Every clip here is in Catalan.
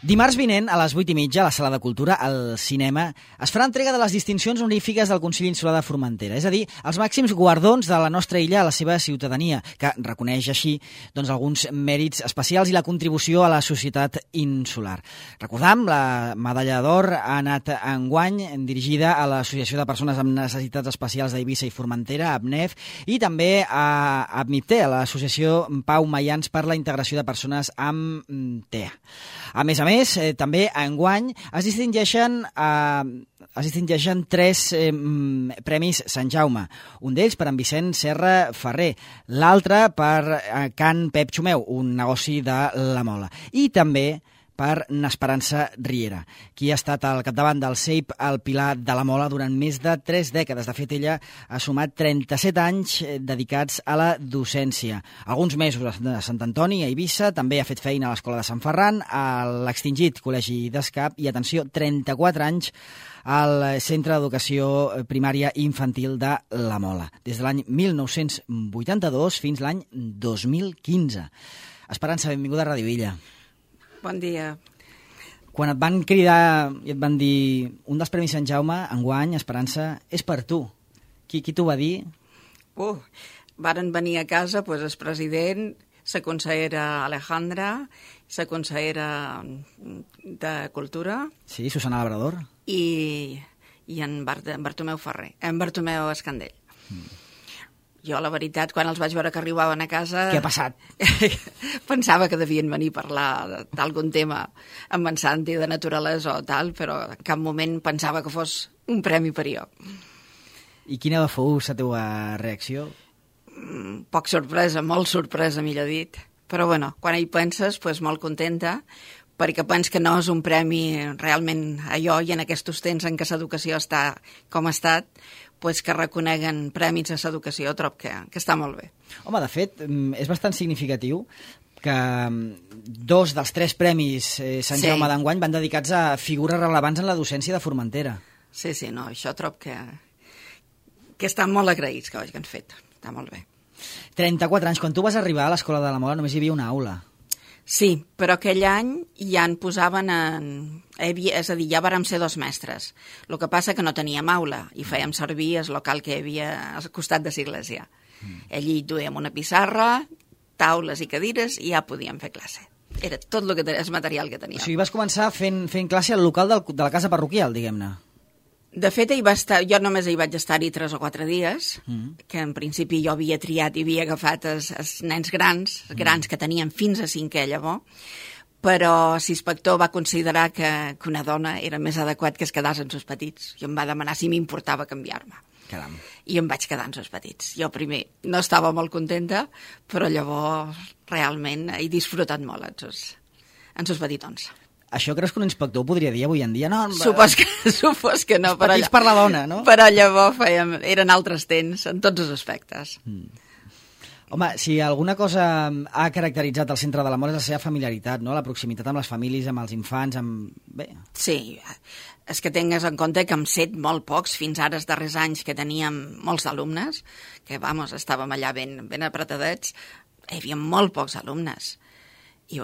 Dimarts vinent, a les 8:30, a la Sala de Cultura, al cinema, es farà entrega de les distincions honorífiques del Consell Insular de Formentera, és a dir, els màxims guardons de la nostra illa a la seva ciutadania, que reconeix així alguns mèrits especials i la contribució a la societat insular. Recordam, la medalla d'or ha anat enguany dirigida a l'Associació de Persones amb Necessitats Especials d'Eivissa i Formentera, APNEF, i també a APMIPTE, a l'Associació Pau Maians per la Integració de Persones amb TEA. A més, també enguany es distingeixen 3 premis Sant Jaume. Un d'ells per en Vicent Serra Ferrer, l'altre per Can Pep Xumeu, un negoci de la Mola. I també per n'Esperança Riera, qui ha estat al capdavant del CEIP al Pilar de la Mola durant més de 3 dècades. De fet, ella ha sumat 37 anys dedicats a la docència. Alguns mesos a Sant Antoni, a Eivissa, també ha fet feina a l'Escola de Sant Ferran, a l'extingit Col·legi d'Escap i, atenció, 34 anys al Centre d'Educació Primària i Infantil de la Mola, des de l'any 1982 fins l'any 2015. Esperança, benvinguda a Ràdio Illa. Bon dia. Quan et van cridar i et van dir un dels Premis Sant Jaume, enguany, Esperança, és per tu. Qui t'ho va dir? Varen venir a casa el president, la consellera Alejandra, la consellera de Cultura... Sí, Susana Labrador. I en Bartomeu Ferrer, en Bartomeu Escandell. Jo, la veritat, quan els vaig veure que arribaven a casa... Què ha passat? Pensava que devien venir a parlar d'algun tema amb en Santi, de naturalesa o tal, però en cap moment pensava que fos un premi per jo. I quina fou la teva reacció? Poc sorpresa, molt sorpresa, millor dit. Però bueno, quan hi penses, molt contenta, perquè pens que no és un premi realment allò, i en aquests temps en què l'educació està com ha estat, que reconeguen prèmits a l'educació, trob que està molt bé. Home, de fet, és bastant significatiu que 2 dels 3 premis Sant Jaume d'enguany van dedicats a figures rellevants en la docència de Formentera. Sí, no, això trob que estan molt agraïts que ho hagin fet. Està molt bé. 34 anys. Quan tu vas arribar a l'Escola de la Mola només hi havia una aula. Sí, però aquell any ja en posaven és a dir, ja vàrem ser 2 mestres. El que passa que no teníem aula i fèiem servir el local que hi havia al costat de l'església. Allí duíem una pissarra, taules i cadires i ja podíem fer classe. Era tot el material que teníem. O sigui, vas començar fent classe al local de la casa parroquial, diguem-ne. De fet, jo només hi vaig estar-hi 3 o 4 dies, que en principi jo havia triat i havia agafat els nens grans que tenien fins a 5è llavors, però l'inspector va considerar que una dona era més adequat que es quedés amb els petits i em va demanar si m'importava canviar-me. Caram. I em vaig quedar amb els petits. Jo primer no estava molt contenta, però llavors realment he disfrutat molt amb els petitons. Això creus que un inspector ho podria dir avui en dia? No, supos que no. Els petits per la dona, no? Però llavors eren altres temps, en tots els aspectes. Home, si alguna cosa ha caracteritzat el Centre de la Mola és la seva familiaritat, no? La proximitat amb les famílies, amb els infants, Bé. Sí, és que tingues en compte que hem set molt pocs, fins ara els darrers anys que teníem molts alumnes, que, estàvem allà ben apretadets, hi havia molt pocs alumnes. I,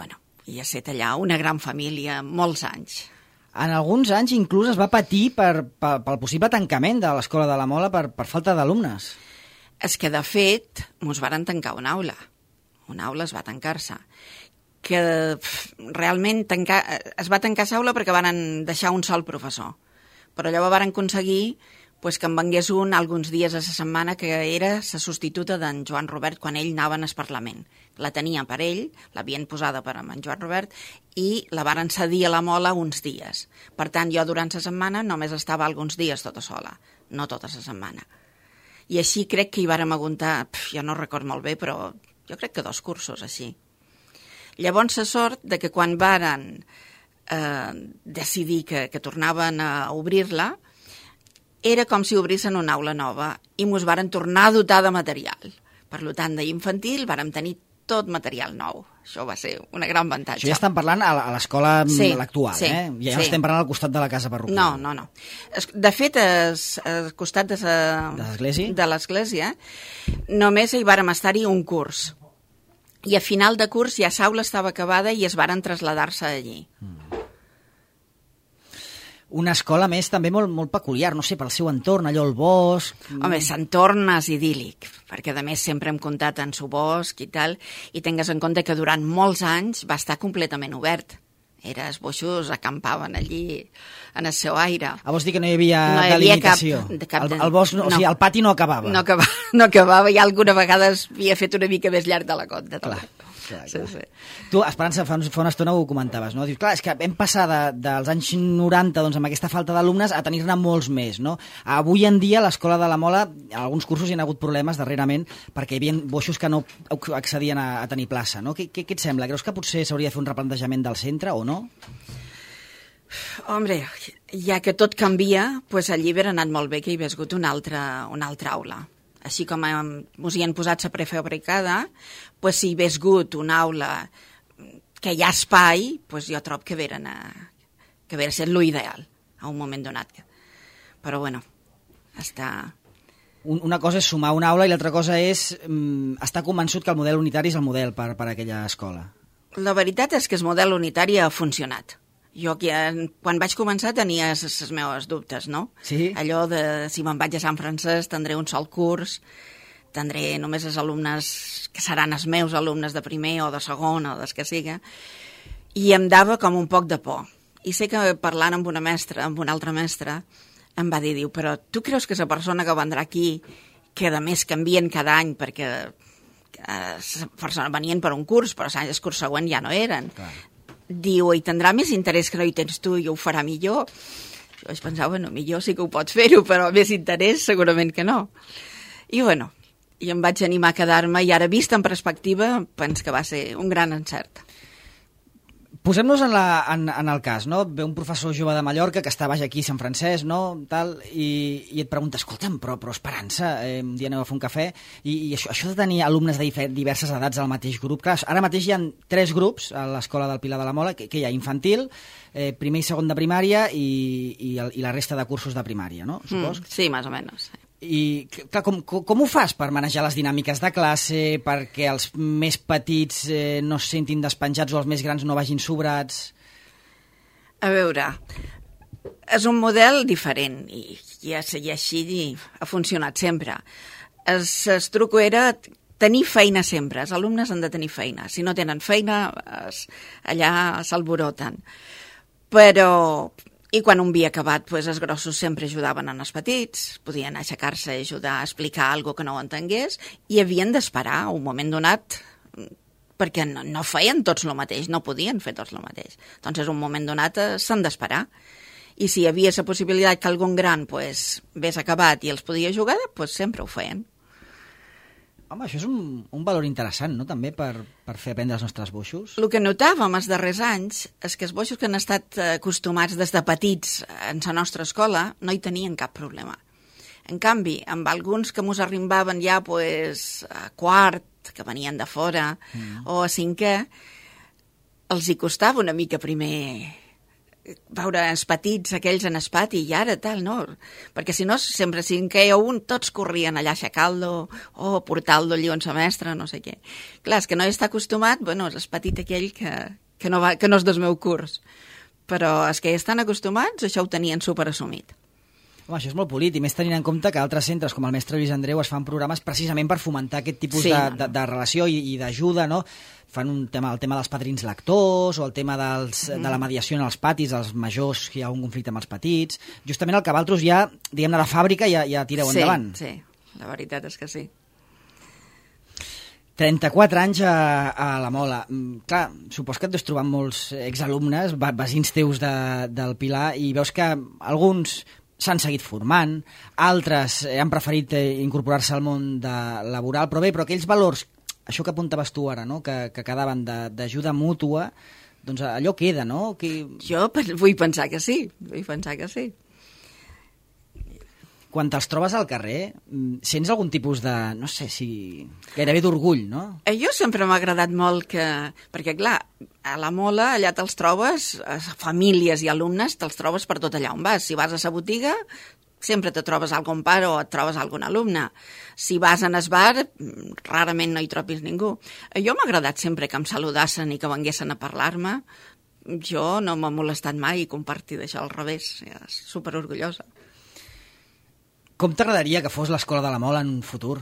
i ha estat allà una gran família, molts anys. En alguns anys inclús es va patir pel possible tancament de l'Escola de la Mola per falta d'alumnes. És que, de fet, ens varen tancar una aula. Una aula es va tancar-se. Que realment es va tancar l'aula perquè van deixar un sol professor. Però llavors van aconseguir que en vengués un alguns dies a la setmana, que era la substituta d'en Joan Robert quan ell anava al Parlament. La tenia per ell, l'havien posada per en Joan Robert, i la varen cedir a la Mola uns dies. Per tant, jo durant la setmana només estava alguns dies tota sola, no tota la setmana. I així crec que hi vàrem aguantar, jo no record molt bé, però jo crec que 2 cursos així. Llavors, la sort de que quan varen decidir que tornaven a obrir-la, era com si obrissin una aula nova i ens varen tornar a dotar de material. Per tant, d'infantil vàrem tenir tot material nou. Això va ser una gran avantatge. Això ja estem parlant a l'escola actual, Ja no estem parlant al costat de la casa parroquial. No. De fet, al costat de l'església només hi vàrem estar-hi un curs. I a final de curs ja l'aula estava acabada i es varen traslladar-se allí. Una escola més també molt peculiar, no sé, pel seu entorn, allò al bosc... Home, l'entorn és idíl·lic, perquè a més sempre hem comptat en su bosc i tal, i tingues en compte que durant molts anys va estar completament obert. Els boixos acampaven allí en el seu aire. Vols dir que no hi havia delimitació? El bosc, o sigui, el pati no acabava. No acabava, i alguna vegada havia fet una mica més llarg de la compte. Clar. Sí. Tu, Esperança, fa una estona ho comentaves, no? Dius, clar, és que hem passat dels anys 90, doncs, amb aquesta falta d'alumnes, a tenir-ne molts més, no? Avui en dia, a l'Escola de la Mola, a alguns cursos hi ha hagut problemes darrerament perquè hi havia boixos que no accedien a tenir plaça, no? Què et sembla? Creus que potser s'hauria de fer un replantejament del centre o no? Hombre, ja que tot canvia, doncs allí hauria anat molt bé que hi hagués hagut una altra aula. Així com ens hi han posat la prefabricada, doncs si hi hagués hagut una aula que hi ha espai, doncs jo trobo que hauria estat l'ideal a un moment donat. Però bueno, està... Una cosa és sumar una aula i l'altra cosa és estar convençut que el model unitari és el model per a aquella escola. La veritat és que el model unitari ha funcionat. Jo, quan vaig començar, tenia els meus dubtes, no? Sí? Allò de, si me'n vaig a Sant Francesc, tindré un sol curs, tindré només els alumnes que seran els meus alumnes de primer o de segon o des que siga, i em dava com un poc de por. I sé que parlant amb una altra mestra, em va dir, però tu creus que la persona que vendrà aquí, que a més canvien cada any, perquè venien per un curs, però el curs següent ja no eren, clar. Diu, i tindrà més interès que no hi tens tu i ho farà millor. Jo vaig pensar, bueno, millor sí que ho pots fer-ho, però més interès segurament que no. I bueno, i em vaig animar a quedar-me, i ara vist en perspectiva, penso que va ser un gran encert. Posem-nos en el cas, no? Ve un professor jove de Mallorca que està baix aquí a Sant Francesc, no? Tal, i et pregunta, escolta'm, però Esperança, un dia aneu a fer un cafè, i això de tenir alumnes de diverses edats al mateix grup, clar, ara mateix hi ha 3 grups a l'Escola del Pilar de la Mola, que hi ha infantil, primer i segon de primària i la resta de cursos de primària, no? Supos? Sí, més o menys. I clar, com ho fas per manejar les dinàmiques de classe, perquè els més petits no es sentin despenjats o els més grans no vagin sobrats? A veure, és un model diferent i així ha funcionat sempre. El truc era tenir feina sempre, els alumnes han de tenir feina. Si no tenen feina, allà s'alboroten. Però... I quan un havia acabat, doncs els grossos sempre ajudaven en els petits, podien aixecar-se i ajudar a explicar alguna que no ho entengués, i havien d'esperar un moment donat, perquè no feien tots el mateix, no podien fer tots el mateix. Doncs un moment donat s'han d'esperar. I si hi havia la possibilitat que algun gran hagués acabat i els podia jugar, doncs sempre ho feien. Home, això és un valor interessant, no?, també, per fer aprendre els nostres boixos. El que notàvem els darrers anys és que els boixos que han estat acostumats des de petits en la nostra escola no hi tenien cap problema. En canvi, amb alguns que mos arribaven ja a quart, que venien de fora, o a cinquè, els hi costava una mica primer veure els petits, aquells en el pati, i ara tal, no? Perquè si no, sempre si en queia un, tots corrien allà a aixecar-lo o a portar-lo allò en la mestra, no sé què. Clar, és que no hi està acostumat, bueno, és el petit aquell que no és del meu curs. Però els que hi estan acostumats, això ho tenien superassumit. Home, això és molt polit, i més tenint en compte que altres centres, com el Mestre Lluís Andreu, es fan programes precisament per fomentar aquest tipus de relació i d'ajuda, no? Fan el tema dels padrins lectors, o el tema de la mediació en els patis, dels majors que hi ha un conflicte amb els petits. Justament el que vosaltres ja, diguem-ne, de fàbrica ja tireu endavant. Sí, la veritat és que sí. 34 anys a la Mola. Clar, supos que et deus trobar molts exalumnes, vecins teus del Pilar, i veus que alguns s'han seguit formant, altres han preferit incorporar-se al món laboral, però aquells valors, això que apuntaves tu ara, no?, que quedaven d'ajuda mútua, doncs allò queda, no? Jo vull pensar que sí, Quan te'ls trobes al carrer, sents algun tipus de, no sé, gairebé d'orgull, no? Jo sempre m'ha agradat molt perquè, clar, a la Mola, allà te'ls trobes, famílies i alumnes, te'ls trobes per tot allà on vas. Si vas a la botiga, sempre te trobes algun pare o et trobes algun alumne. Si vas en el bar, rarament no hi trobis ningú. Jo m'ha agradat sempre que em saludassen i que venguessin a parlar-me. jo no m'ha molestat mai compartir d'això, al revés, superorgullosa. Com t'agradaria que fos l'Escola de la Mola en un futur?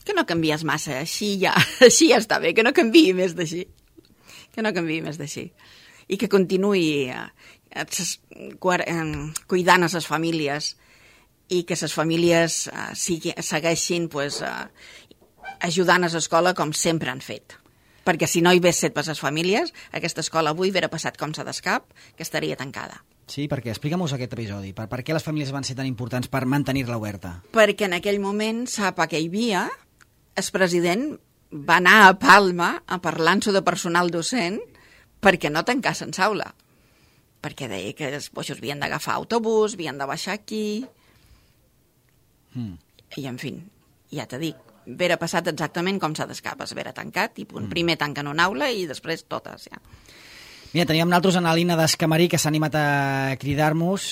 Que no canvies massa, així ja està bé, que no canviï més d'així. I que continuï cuidant a les famílies i que les famílies segueixin ajudant a l'escola com sempre han fet. Perquè si no hi hagués set per les famílies, aquesta escola avui hauria passat com s'ha d'escap, que estaria tancada. Sí, perquè explica'm-nos aquest episodi. Per què les famílies van ser tan importants per mantenir-la oberta? Perquè en aquell moment, sap que hi havia, el president va anar a Palma a parlar-nos de personal docent perquè no tancassen l'aula. Perquè deia que els boixos havien d'agafar autobús, havien de baixar aquí... I, en fi, ja t'he dit, vera passat exactament com s'ha d'escap, es vera tancat, i primer tanquen una aula i després totes, ja. Mira, teníem nosaltres en la Lina d'Escamarí, que s'ha animat a cridar-nos,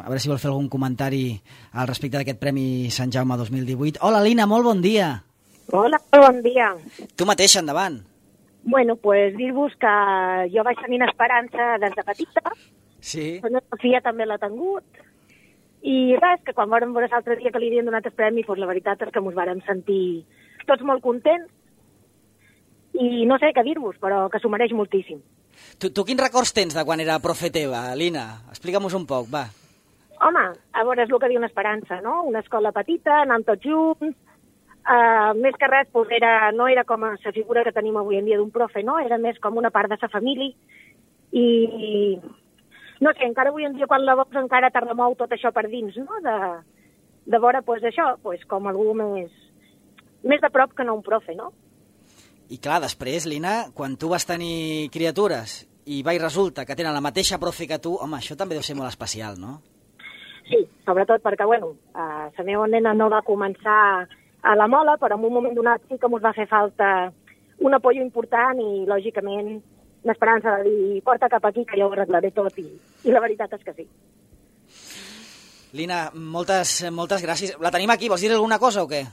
a veure si vol fer algun comentari al respecte d'aquest Premi Sant Jaume 2018. Hola, Lina, molt bon dia. Hola, bon dia. Tu mateixa, endavant. Bueno, pues dir-vos que jo vaig tenir esperança des de petita, Sí. la meva filla també l'ha tingut, i res, que quan vam veure l'altre dia que li havien donat el premi, pues la veritat és que ens vàrem sentir tots molt contents, i no sé què dir-vos, però que s'ho mereix moltíssim. Tu quins records tens de quan era profe teva, Lina? Explica'm-nos un poc, va. Home, a veure, és el que diu una esperança, no? Una escola petita, anant tots junts, més que res, pues no era com la figura que tenim avui en dia d'un profe, no? Era més com una part de sa família, i no sé, encara avui en dia quan la veus encara te remou tot això per dins, no? De veure, pues, això, pues, com algú més de prop que no un profe, no? I clar, després, Lina, quan tu vas tenir criatures i resulta que tenen la mateixa profe que tu, home, això també deu ser molt especial, no? Sí, sobretot perquè, bueno, la meva nena no va començar a la Mola, però en un moment donat sí que ens va fer falta un apoyo important i, lògicament, l'esperança de dir, porta cap aquí que jo ho arreglaré tot, i la veritat és que sí. Lina, moltes gràcies. La tenim aquí, vols dir alguna cosa o què?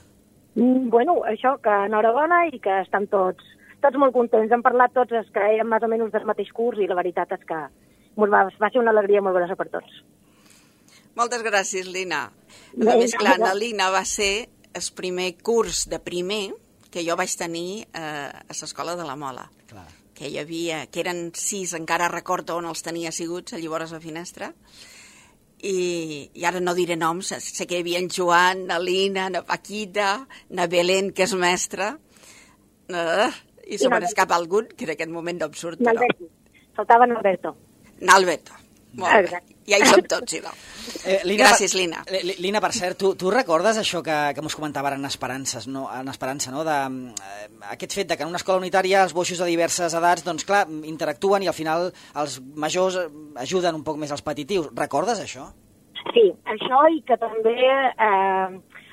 Bueno, això, que enhorabona i que estem tots molt contents. Hem parlat tots els que érem més o menys del mateix curs i la veritat és que va ser una alegria molt grossa per tots. Moltes gràcies, Lina. A més, clar, la Lina va ser el primer curs de primer que jo vaig tenir a l'escola de la Mola. Clar. Que hi havia, que eren 6, encara recordo on els tenia asseguts, allà vora la finestra, i ara no diré noms, sé que hi havia en Joan, na Lina, na Paquita, na Belén, que és mestra, i se me n'escapa algun, que en aquest moment no em surt, però... Faltava Alberto. Alberto, molt bé. Ja hi som tots, no? Lina, gràcies, Lina. Lina, per cert, tu recordes això que mos comentava ara en Esperança, no? Aquest fet de que en una escola unitària els boixos de diverses edats, doncs clar, interactuen i al final els majors ajuden un poc més als petitius. Recordes això? Sí, això i que també,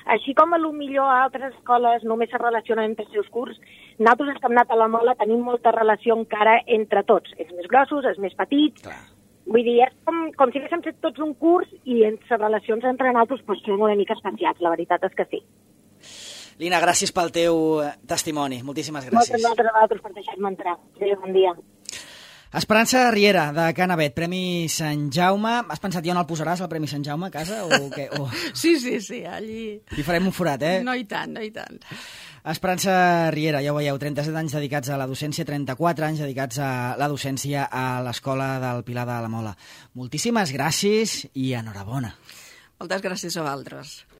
així com potser a altres escoles només se relacionen entre els seus curs, nosaltres els que hem anat a la Mola tenim molta relació encara entre tots, els més grossos, els més petits. Clar. Vull dir, és com si haguéssim fet tots un curs i les relacions entre nosaltres pues, són una mica especials, la veritat és que sí. Lina, gràcies pel teu testimoni. Moltíssimes gràcies. Moltes gràcies per deixar-me entrar. Adéu, bon dia. Esperança Riera, de Can Avet, Premi Sant Jaume. Has pensat ja on el posaràs, el Premi Sant Jaume, a casa? O què? Sí, allí... Hi farem un forat, eh? No i tant. Esperança Riera, ja ho veieu, 37 anys dedicats a la docència, 34 anys dedicats a la docència a l'Escola del Pilar de la Mola. Moltíssimes gràcies i enhorabona. Moltes gràcies a vosaltres.